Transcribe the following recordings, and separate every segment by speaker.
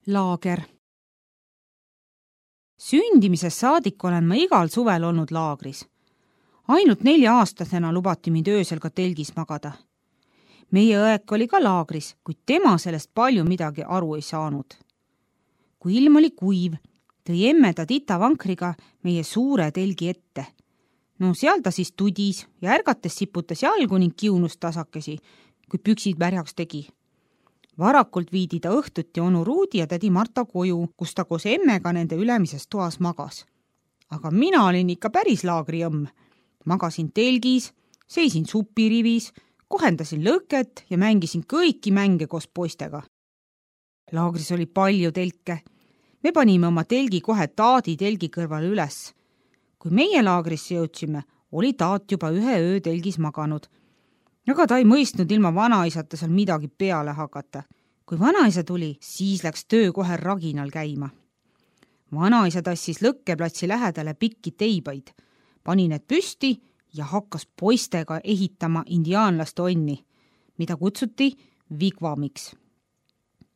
Speaker 1: Laager. Sündimisest saadik olen ma igal suvel olnud laagris. Ainult 4-aastasena lubati mind öösel ka telgis magada. Meie õek oli ka laagris, kuid tema sellest palju midagi aru ei saanud. Kui ilm oli kuiv, tõi emme ta titavankriga meie suure telgi ette. No seal ta siis tudis ja ärgates siputas jalgu ning kiunus tasakesi, kui püksid märjaks tegi. Varakult viidi ta õhtuti onu Ruudi ja tädi Marta koju, kus ta koos emmega nende ülemises toas magas. Aga mina olin ikka päris laagriõmm. Magasin telgis, seisin supirivis, kohendasin lõket ja mängisin kõiki mänge koos poistega. Laagris oli palju telke. Me panime oma telgi kohe Taadi telgi kõrval üles. Kui meie laagrisse jõudsime, oli Taat juba 1 öö telgis maganud. Aga ta ei mõistnud ilma vanaisata seal midagi peale hakata. Kui vanaisa tuli, siis läks töö kohe raginal käima. Vanaisa tassis lõkkeplatsi lähedale pikki teibaid, pani need püsti ja hakkas poistega ehitama indiaanlaste onni, mida kutsuti vigvamiks.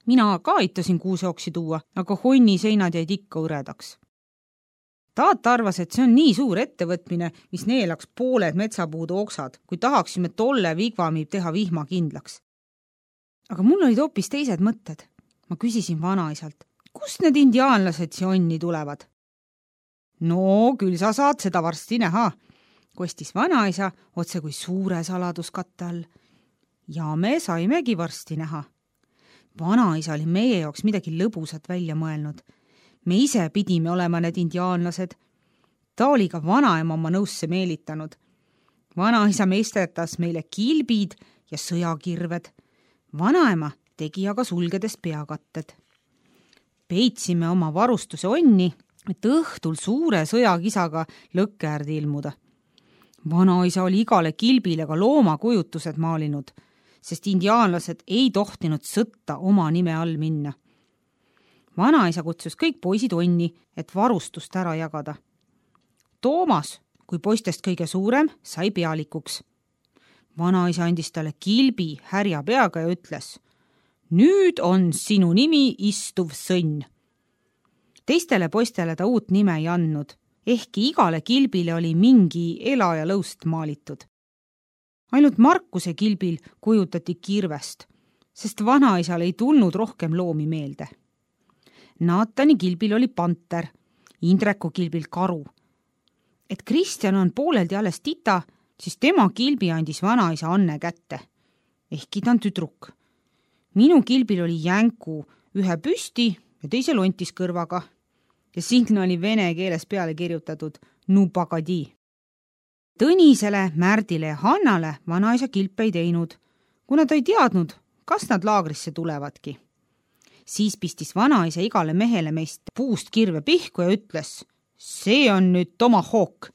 Speaker 1: Mina ka aitasin kuuseoksi tuua, aga honni seinad jäid ikka õredaks. Taat arvas, et see on nii suur ettevõtmine, mis neelaks pooled metsapuude oksad, kui tahaksime tolle vigvami teha vihma kindlaks. Aga mul olid hoopis teised mõtted. Ma küsisin vanaisalt, kust need indiaanlased siia onni tulevad? No, küll sa saad seda varsti näha, kostis vanaisa otse kui suure saladuskatte all. Ja me saimegi varsti näha. Vanaisa oli meie jaoks midagi lõbusat välja mõelnud. Me ise pidime olema need indiaanlased. Ta oli ka vanaema oma nõusse meelitanud. Vanaisa meisterdas meile kilbid ja sõjakirved. Vanaema tegi aga sulgedes peakatted. Peitsime oma varustuse onni, et õhtul suure sõjakisaga lõkke äärde ilmuda. Vanaisa oli igale kilbile ka loomakujutused maalinud, sest indiaanlased ei tohtinud sõtta oma nime all minna. Vanaisa kutsus kõik poisid onni, et varustust ära jagada. Toomas, kui poistest kõige suurem, sai pealikuks. Vanaisa andis talle kilbi härja peaga ja ütles, nüüd on sinu nimi istuv sõnn. Teistele poistele ta uut nime ei andnud, ehkki igale kilbile oli mingi ela ja lõust maalitud. Ainult Markuse kilbil kujutati kirvest, sest vanaisal ei tulnud rohkem loomi meelde. Naatani kilbil oli panter, Indreku kilbil karu. Et Kristjan on pooleldi alles tita, siis tema kilbi andis vanaisa Anne kätte, ehkki ta on tüdruk. Minu kilbil oli jänku, 1 püsti ja teise lontis kõrvaga ja sinna oli vene keeles peale kirjutatud Nupagadi. Tõnisele, Märdile ja Hannale vanaisa kilpe ei teinud, kuna ta ei teadnud, kas nad laagrisse tulevadki. Siis pistis vanaisa igale mehele meist puust kirve pihku ja ütles, see on nüüd tomahawk,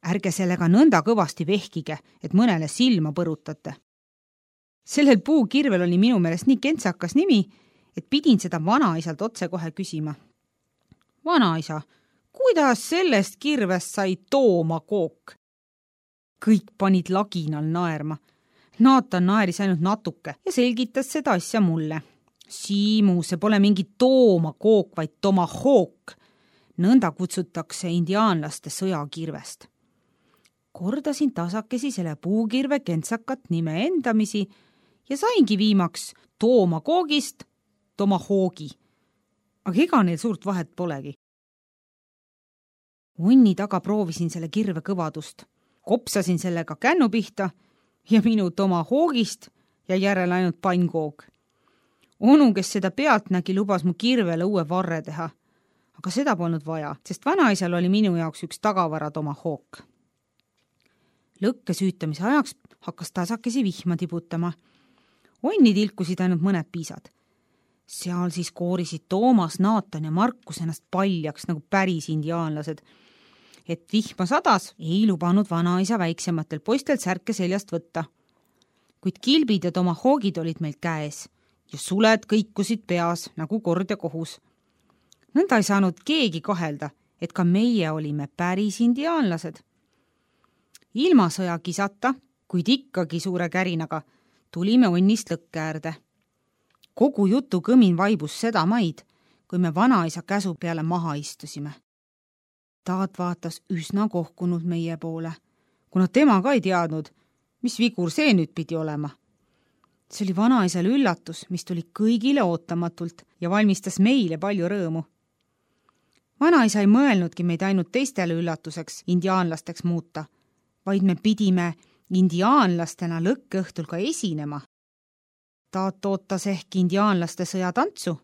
Speaker 1: ärge sellega nõnda kõvasti vehkige, et mõnele silma põrutate. Sellel puukirvel oli minu meelest nii kentsakas nimi, et pidin seda vanaisalt otse kohe küsima. Vanaisa, kuidas sellest kirvest sai toomakook? Kõik panid laginal naerma. Naatan naeris ainult natuke ja selgitas seda asja mulle. Siimu, see pole mingi toomakook, vaid tomahawk. Nõnda kutsutakse indiaanlaste sõjakirvest. Kordasin tasakesi selle puukirve kentsakat nime endamisi ja saingi viimaks toomakoogist tomahawki. Aga ega neil suurt vahet polegi. Onni taga proovisin selle kirve kõvadust. Kopsasin sellega kännu pihta ja minu tomahawkist ja järel ainult pannkoog. Onu, kes seda pealt nägi, lubas mu kirvele uue varre teha. Aga seda polnud vaja, sest vanaisal oli minu jaoks üks tagavara tomahawk. Lõkke süütamise ajaks hakkas tasakesi vihma tibutama. Onni tilkusid ainult mõned piisad. Seal siis koorisid Toomas, Naatan ja Markus ennast paljaks nagu päris indiaanlased. Et vihma sadas, ei lubanud vanaisa väiksematel poistel särke seljast võtta. Kuid kilbid ja tomahawkid olid meil käes ja suled kõikusid peas nagu kord ja kohus. Nõnda ei saanud keegi kahelda, et ka meie olime päris indiaanlased. Ilma sõja kisata, kuid ikkagi suure kärinaga, tulime onnist lõkke äärde. Kogu jutu kõmin vaibus seda maid, kui me vanaisa käsu peale maha istusime. Taat vaatas üsna kohkunud meie poole, kuna tema ka ei teadnud, mis vigur see nüüd pidi olema. See oli vanaisale üllatus, mis tuli kõigile ootamatult ja valmistas meile palju rõõmu. Vanaisa ei mõelnudki meid ainult teistele üllatuseks indiaanlasteks muuta, vaid me pidime indiaanlastena lõkkeõhtul ka esinema. Taat ootas ehk indiaanlaste sõjatantsu.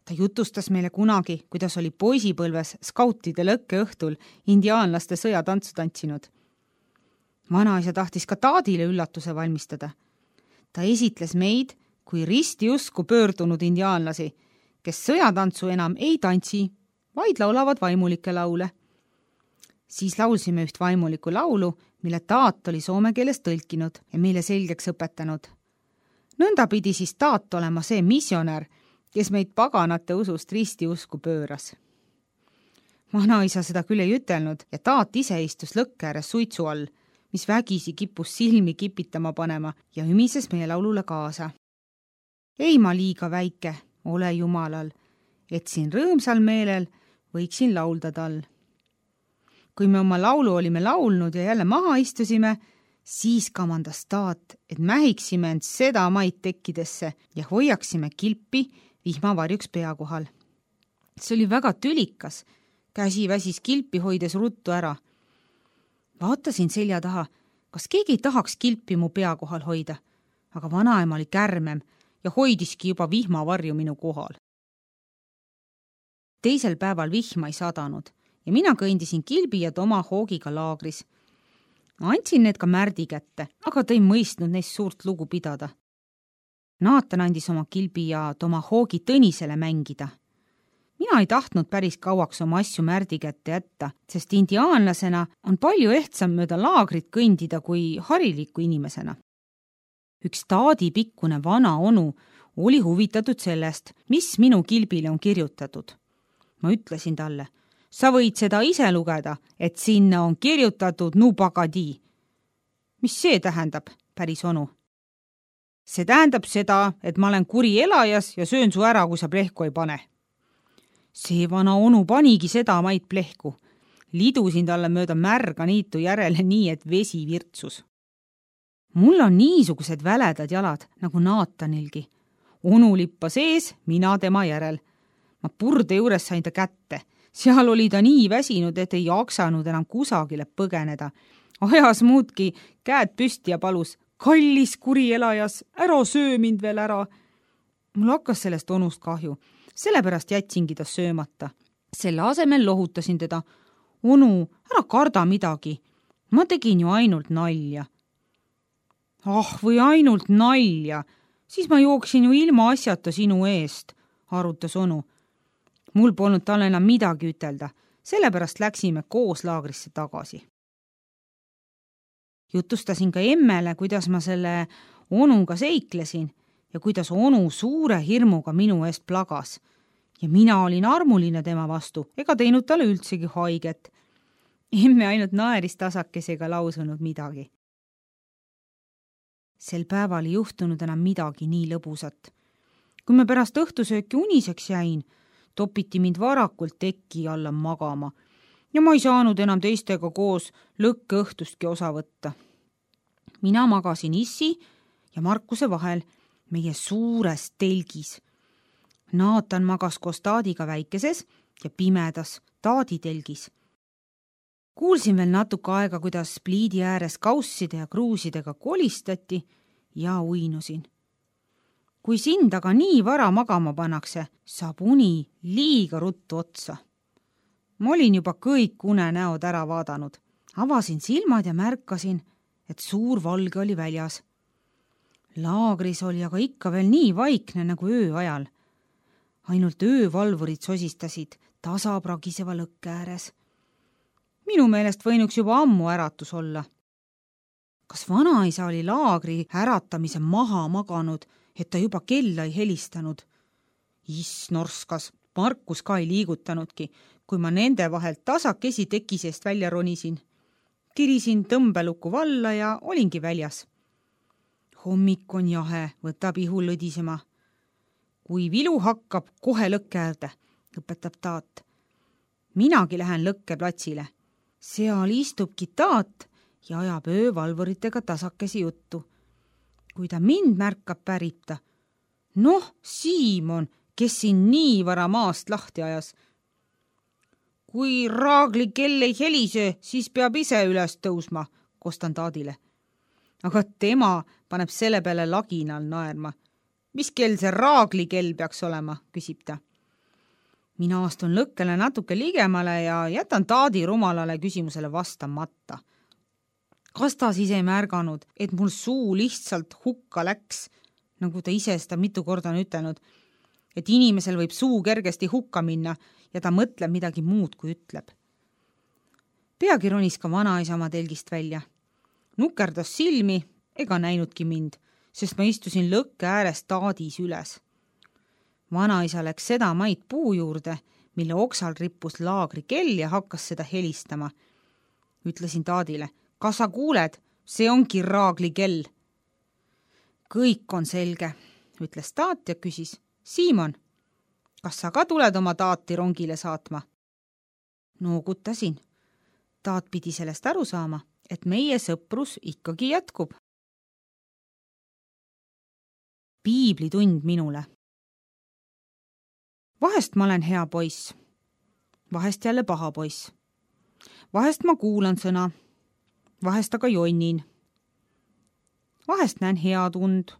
Speaker 1: Ta jutustas meile kunagi, kuidas oli poisipõlves skautide lõkkeõhtul indiaanlaste sõjatantsu tantsinud. Vanaisa tahtis ka Taadile üllatuse valmistada. Ta esitles meid kui risti usku pöördunud indiaanlasi, kes sõjatantsu enam ei tantsi, vaid laulavad vaimulikke laule. Siis laulsime üht vaimulikku laulu, mille Taat oli soome keeles tõlkinud ja meile selgeks õpetanud. Nõnda pidi siis Taat olema see missionär, kes meid paganate usust risti usku pööras. Vanaisa seda küll ei ütelnud ja Taat ise istus lõkke ääres suitsu all, mis vägisi kippus silmi kipitama panema ja ümises meie laulule kaasa. Ei ma liiga väike, ole jumalal, et siin rõõmsal meelel võiksin laulda tal. Kui me oma laulu olime laulnud ja jälle maha istusime, siis kamandas Taat, et mähiksime end seda maid tekkidesse ja hoiaksime kilpi vihmavarjuks pea kohal. See oli väga tülikas, käsi väsis kilpi hoides ruttu ära. Vaatasin selja taha, kas keegi ei tahaks kilpi mu pea kohal hoida, aga vanaema oli kärmem ja hoidiski juba vihmavarju minu kohal. Teisel päeval vihma ei sadanud ja mina kõndisin kilbi ja Toma hoogiga laagris. Ma andsin need ka Märdi kätte, aga ta ei mõistnud neist suurt lugu pidada. Naatan andis oma kilbi ja Toma hoogi Tõnisele mängida. Mina ei tahtnud päris kauaks oma asju Märdi kätte jätta, sest indiaanlasena on palju ehtsam mööda laagrit kõndida kui hariliku inimesena. Üks Taadi pikkune vana onu oli huvitatud sellest, mis minu kilbile on kirjutatud. Ma ütlesin talle, sa võid seda ise lugeda, et sinna on kirjutatud Nubagadi. Mis see tähendab, päris onu? See tähendab seda, et ma olen kuri elajas ja söön su ära, kui sa plehku ei pane. See vana onu panigi seda maid plehku. Lidusin talle mööda märga niitu järele nii, et vesi virtsus. Mul on niisugused väledad jalad, nagu Naatanilgi. Onu lippas ees, mina tema järel. Ma purde juures sain ta kätte. Seal oli ta nii väsinud, et ei jaksanud enam kusagile põgeneda. Ajas muudki käed püsti ja palus, kallis kuri elajas, ära söö mind veel ära. Mul hakkas sellest onust kahju, sellepärast jätsingi ta söömata. Selle asemel lohutasin teda. Onu, ära karda midagi. Ma tegin ju ainult nalja. Ah, või ainult nalja. Siis ma jooksin ju ilma asjata sinu eest, arutas onu. Mul polnud talle enam midagi ütelda, sellepärast läksime koos laagrisse tagasi. Jutustasin ka emmele, kuidas ma selle onuga seiklesin ja kuidas onu suure hirmuga minu eest plagas. Ja mina olin armuline tema vastu, ega teinud talle üldsegi haiget. Emme ainult naeris tasakesi ega lausunud midagi. Sel päeval ei juhtunud enam midagi nii lõbusat. Kui me pärast õhtusööki uniseks jäin, topiti mind varakult teki alla magama ja ma ei saanud enam teistega koos lõkkeõhtustki osa võtta. Mina magasin Issi ja Markuse vahel meie suures telgis. Naatan magas koos Taadiga väikeses ja pimedas Taadi telgis. Kuulsin veel natuke aega, kuidas pliidi ääres kausside ja kruusidega kolistati ja uinusin. Kui sind aga nii vara magama pannakse, saab uni liiga ruttu otsa. Ma olin juba kõik unenäod ära vaadanud. Avasin silmad ja märkasin, et suur valge oli väljas. Laagris oli aga ikka veel nii vaikne nagu öö ajal. Ainult öövalvurid sosistasid tasapragiseva lõkke ääres. Minu meelest võinuks juba ammu äratus olla. Kas vanaisa oli laagri äratamise maha maganud, et ta juba kella ei helistanud? Norskas, Markus ka ei liigutanudki, kui ma nende vahelt tasakesi teki seest välja ronisin. Tirisin tõmbeluku valla ja olingi väljas. Hommik on jahe, võtab ihu lõdisema. Kui vilu hakkab, kohe lõkke äärde. õpetab Taat. Minagi lähen lõkkeplatsile. Seal istubki Taat ja ajab öövalvuritega tasakesi juttu. Kui ta mind märkab, pärib ta. Noh, Siimon, kes siin nii vara maast lahti ajas. Kui raagli kell ei helise, siis peab ise üles tõusma, kostan Taadile. Aga tema paneb selle peale laginal naerma. Mis kell see raagli kell peaks olema, küsib ta. Mina astun lõkkele natuke ligemale ja jätan Taadi rumalale küsimusele vastamata. Kas ta siis ei märganud, et mul suu lihtsalt hukka läks, nagu ta ise seda mitu korda on ütelnud, et inimesel võib suu kergesti hukka minna ja ta mõtleb midagi muud, kui ütleb. Peagi ronis ka vanaisa oma telgist välja. Nukerdas silmi ega näinudki mind, sest ma istusin lõkke ääres Taadis üles. Vanaisa läks seda maid puu juurde, mille oksal rippus laagri kell ja hakkas seda helistama. Ütlesin Taadile, kas sa kuuled, see ongi raagli kell. Kõik on selge, ütles Taat ja küsis, Siimon, kas sa ka tuled oma Taati rongile saatma? Noogutasin. Taat pidi sellest aru saama, et meie sõprus ikkagi jätkub. Piiblitund minule. Vahest ma olen hea poiss, vahest jälle paha poiss. Vahest ma kuulan sõna, vahest aga jonnin. Vahest näen head und,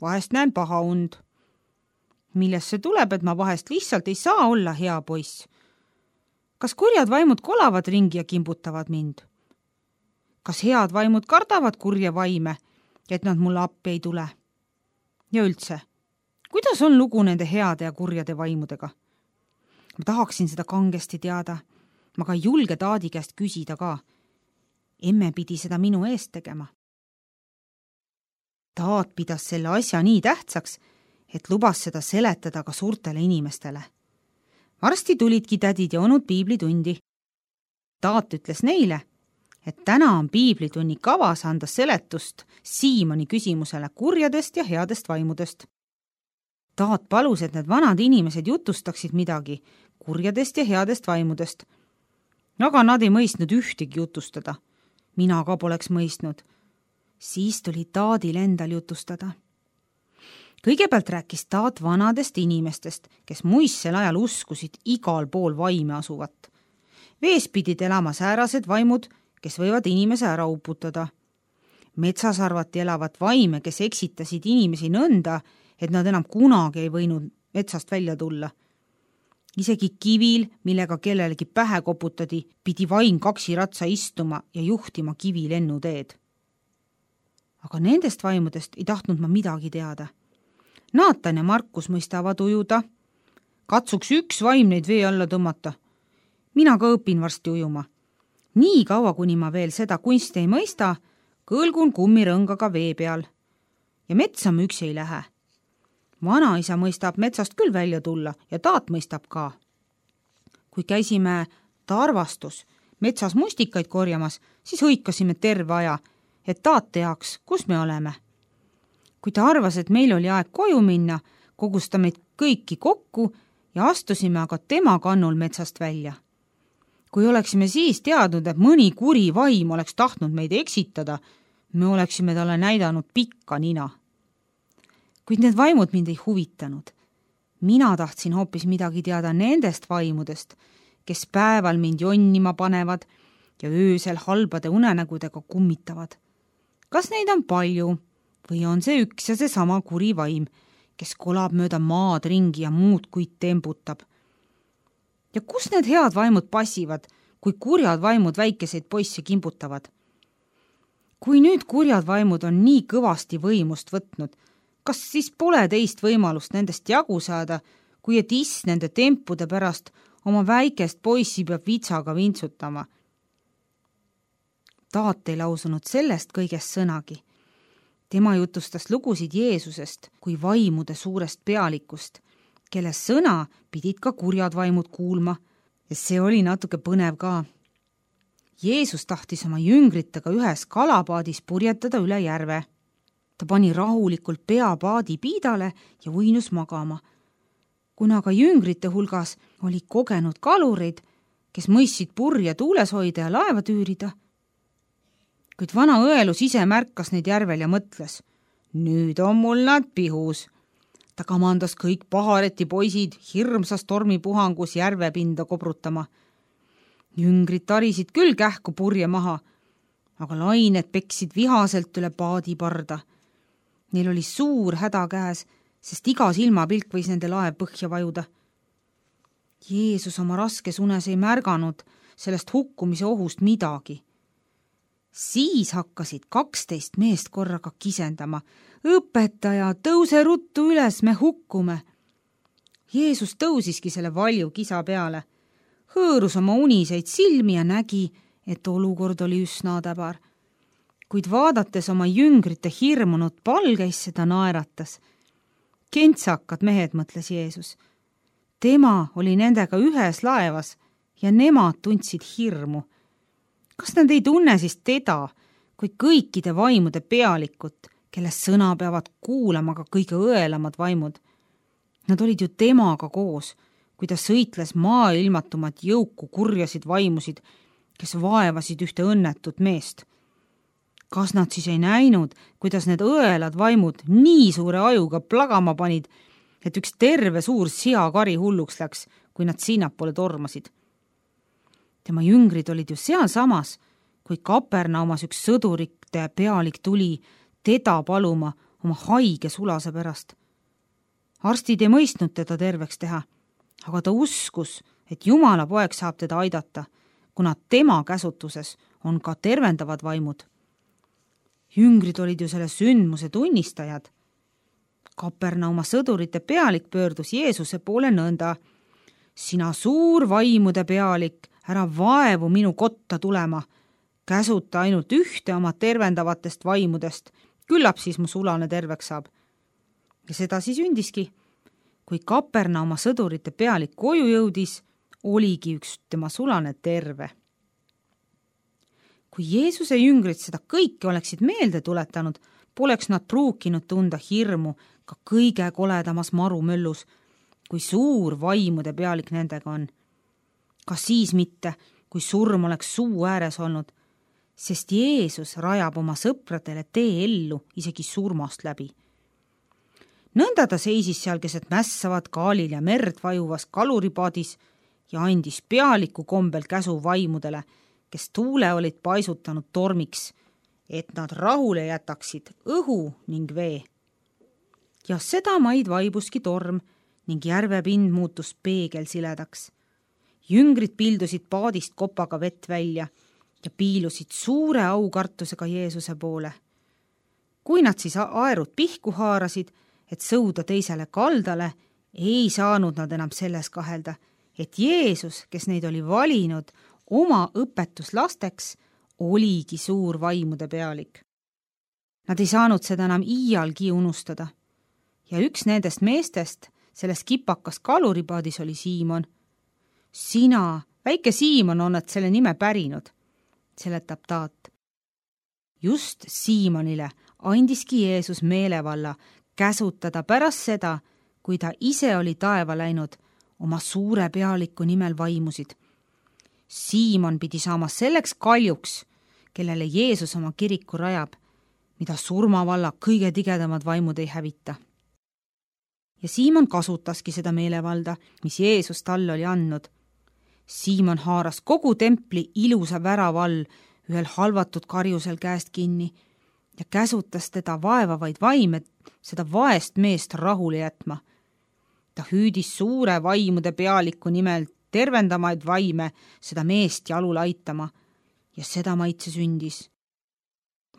Speaker 1: vahest näen paha und. Millest see tuleb, et ma vahest lihtsalt ei saa olla hea poiss? Kas kurjad vaimud kolavad ringi ja kimbutavad mind? Kas head vaimud kardavad kurja vaime, et nad mulle appi ei tule? Ja üldse, kuidas on lugu nende heade ja kurjade vaimudega? Ma tahaksin seda kangesti teada. Ma ka ei julge Taadi käest küsida ka. Emme pidi seda minu eest tegema. Taat pidas selle asja nii tähtsaks, et lubas seda seletada ka suurtele inimestele. Varsti tulidki tädid ja onud piiblitundi. Taat ütles neile, et täna on piiblitunni kavas anda seletust Siimoni küsimusele kurjadest ja headest vaimudest. Taat palus, et need vanad inimesed jutustaksid midagi kurjadest ja headest vaimudest. Aga nad ei mõistnud ühtegi jutustada. Mina ka poleks mõistnud. Siis tuli Taadil endal jutustada. Kõigepealt rääkis Taat vanadest inimestest, kes muistsel ajal uskusid igal pool vaime asuvat. Vees pidid elama säärased vaimud, kes võivad inimese ära uputada. Metsas arvati elavat vaime, kes eksitasid inimesi nõnda, et nad enam kunagi ei võinud metsast välja tulla. Isegi kivil, millega kellelegi pähe koputadi, pidi vaim kaksiratsa istuma ja juhtima kivi lennuteed. Aga nendest vaimudest ei tahtnud ma midagi teada. Naatan ja Markus mõistavad ujuda. Katsuks üks vaim neid vee alla tõmmata. Mina ka õpin varsti ujuma. Nii kaua, kuni ma veel seda kunsti ei mõista, kõlgun kummirõngaga vee peal. Ja metsa ma üksi ei lähe. Vanaisa mõistab metsast küll välja tulla ja Taat mõistab ka. Kui käisime Tarvastus metsas mustikaid korjamas, siis hõikasime terve aja, et Taat teaks, kus me oleme. Kui ta arvas, et meil oli aeg koju minna, kogus ta meid kõiki kokku ja astusime aga tema kannul metsast välja. Kui oleksime siis teadnud, et mõni kuri vaim oleks tahtnud meid eksitada, me oleksime talle näidanud pikka nina. Kuid need vaimud mind ei huvitanud. Mina tahtsin hoopis midagi teada nendest vaimudest, kes päeval mind jonnima panevad ja öösel halbade unenägudega kummitavad. Kas neid on palju või on see üks ja see sama kuri vaim, kes kolab mööda maad ringi ja muud kuid tembutab? Ja kus need head vaimud passivad, kui kurjad vaimud väikeseid poisse kimbutavad? Kui nüüd kurjad vaimud on nii kõvasti võimust võtnud, kas siis pole teist võimalust nendest jagu saada, kui et nende tempude pärast oma väikest poissi peab vitsaga vintsutama? Taat ei lausunud sellest kõigest sõnagi. Tema jutustas lugusid Jeesusest kui vaimude suurest pealikust, kelle sõna pidid ka kurjad vaimud kuulma ja see oli natuke põnev ka. Jeesus tahtis oma jüngritega ühes kalapaadis purjetada üle järve. Ta pani rahulikult pea paadi piidale ja uinus magama. kuna ka jüngrite hulgas oli kogenud kalureid, kes mõistsid purje tuules hoida ja laeva tüürida. Kuid vana õelus ise märkas neid järvel ja mõtles, nüüd on mul nad pihus. Ta kamandas kõik pahareti poisid hirmsas tormipuhangus järvepinda kobrutama. Jüngrid tarisid küll kähku purje maha, aga lained peksid vihaselt üle paadiparda. Neil oli suur häda käes, sest iga silmapilk võis nende laev põhja vajuda. Jeesus oma raskes unes ei märganud sellest hukkumise ohust midagi. Siis hakkasid 12 meest korraga kisendama. Õpetaja, tõuse ruttu üles, me hukkume. Jeesus tõusiski selle valju kisa peale, hõõrus oma uniseid silmi ja nägi, et olukord oli üsna täbar. Kuid vaadates oma jüngrite hirmunud palgeisse, ta naeratas. Kentsakad mehed, mõtles Jeesus. Tema oli nendega ühes laevas ja nemad tundsid hirmu. Kas nad ei tunne siis teda kui kõikide vaimude pealikut, kellest sõna peavad kuulama ka kõige õelamad vaimud? Nad olid ju temaga koos, kui ta sõitles maailmatumat jõuku kurjasid vaimusid, kes vaevasid ühte õnnetut meest. Kas nad siis ei näinud, kuidas need õelad vaimud nii suure ajuga plagama panid, et üks terve suur seakari hulluks läks, kui nad sinnapoole tormasid? Tema jüngrid olid ju seal samas, kui Kapernaumas üks sõdurite pealik tuli teda paluma oma haige sulase pärast. Arstid ei mõistnud teda terveks teha, aga ta uskus, et Jumala poeg saab teda aidata, kuna tema käsutuses on ka tervendavad vaimud. Jüngrid olid ju selle sündmuse tunnistajad. Kapernauma sõdurite pealik pöördus Jeesuse poole nõnda. Sina suur vaimude pealik, ära vaevu minu kotta tulema. Käsuta ainult ühte oma tervendavatest vaimudest. Küllap siis mu sulane terveks saab. Ja seda siis ündiski. Kui Kapernauma sõdurite pealik koju jõudis, oligi üks tema sulane terve. Kui Jeesuse jüngrid seda kõike oleksid meelde tuletanud, poleks nad pruukinud tunda hirmu ka kõige koledamas marumöllus, kui suur vaimude pealik nendega on. Ka siis mitte, kui surm oleks suu ääres olnud, sest Jeesus rajab oma sõpradele tee ellu isegi surmast läbi. Nõnda ta seisis seal keset mässavat kaalil ja merd vajuvas kaluripaadis ja andis pealiku kombel käsu vaimudele, kes tuule olid paisutanud tormiks, et nad rahule jätaksid õhu ning vee. Ja sedamaid vaibuski torm ning järvepind muutus peegelsiledaks. Jüngrid pildusid paadist kopaga vett välja ja piilusid suure aukartusega Jeesuse poole. Kui nad siis aerud pihku haarasid, et sõuda teisele kaldale, ei saanud nad enam selles kahelda, et Jeesus, kes neid oli valinud oma õpetuslasteks, oligi suur vaimude pealik. Nad ei saanud seda enam iialgi unustada. Ja üks nendest meestest selles kipakas kaluripaadis oli Siimon. Sina, väike Siimon, on nad selle nime pärinud, seletab taat. Just Siimonile andiski Jeesus meelevalla käsutada pärast seda, kui ta ise oli taeva läinud oma suure pealiku nimel vaimusid. Siimon pidi saama selleks kaljuks, kellele Jeesus oma kiriku rajab, mida surmavalla kõige tigedamad vaimud ei hävita. Ja Siimon kasutaski seda meelevalda, mis Jeesus talle oli andnud. Siimon haaras kogu templi ilusa värava all ühel halvatud karjusel käest kinni ja käsutas teda vaevavaid vaime seda vaest meest rahule jätma. Ta hüüdis suure vaimude pealiku nimel tervendamaid vaime seda meest jalule aitama ja seda maitse sündis.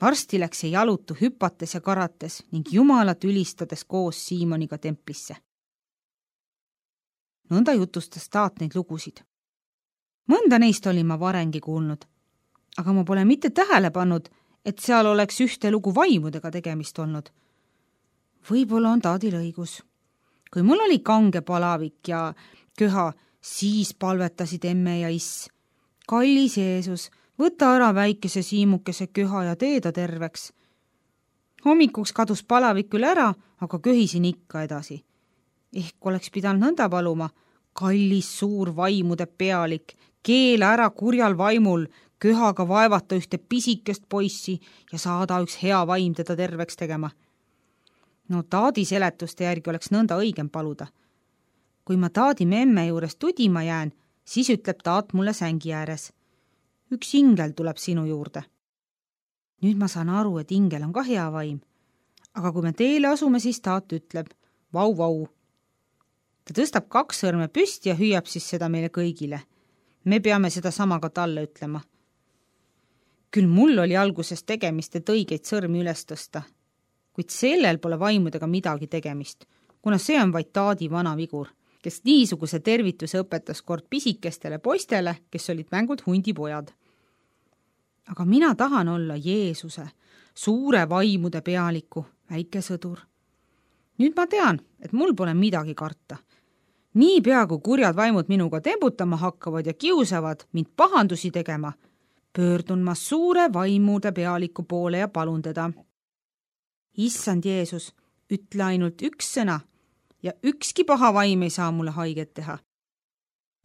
Speaker 1: Varsti läks see jalutu hüpates ja karates ning Jumalat ülistades koos Siimoniga templisse. Nõnda jutustas taat neid lugusid. Mõnda neist olin ma varengi kuulnud, aga ma pole mitte tähele pannud, et seal oleks ühte lugu vaimudega tegemist olnud. Võib-olla on taadil õigus. Kui mul oli kange palavik ja köha, siis palvetasid emme ja iss. Kallis Jeesus, võta ära väikese siimukese köha ja tee ta terveks. Hommikuks kadus palavik küll ära, aga köhisin ikka edasi. Ehk oleks pidanud nõnda paluma: kallis suur vaimude pealik, keela ära kurjal vaimul köhaga vaevata ühte pisikest poissi ja saada üks hea vaim teda terveks tegema. No taadi seletuste järgi oleks nõnda õigem paluda. Kui ma taadi memme juures tudima jään, siis ütleb taat mulle sängi ääres: üks ingel tuleb sinu juurde. Nüüd ma saan aru, et ingel on ka hea vaim. Aga kui me teele asume, siis taat ütleb: vau, vau. Ta tõstab 2 sõrme püsti ja hüüab siis seda meile kõigile. Me peame seda sama ka talle ütlema. Küll mul oli alguses tegemist, et õigeid sõrmi üles tõsta, kuid sellel pole vaimudega midagi tegemist, kuna see on vaid taadi vana vigur, kes niisuguse tervituse õpetas kord pisikestele poistele, kes olid mängult hundipojad. Aga mina tahan olla Jeesuse, suure vaimude pealiku, väike sõdur. Nüüd ma tean, et mul pole midagi karta. Niipea kui kurjad vaimud minuga tembutama hakkavad ja kiusavad mind pahandusi tegema, pöördun ma suure vaimude pealiku poole ja palun teda: Issand Jeesus, ütle ainult üks sõna ja ükski paha vaim ei saa mulle haiget teha.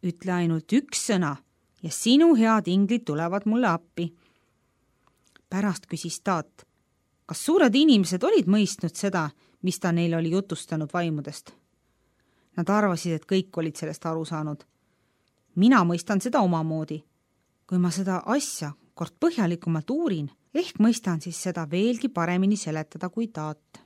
Speaker 1: Ütle ainult üks sõna ja sinu head inglid tulevad mulle appi. Pärast küsis taat: kas suured inimesed olid mõistnud seda, mis ta neile oli jutustanud vaimudest? Nad arvasid, et kõik olid sellest aru saanud. Mina mõistan seda omamoodi. Kui ma seda asja kord põhjalikumalt uurin, ehk mõistan siis seda veelgi paremini seletada kui taat.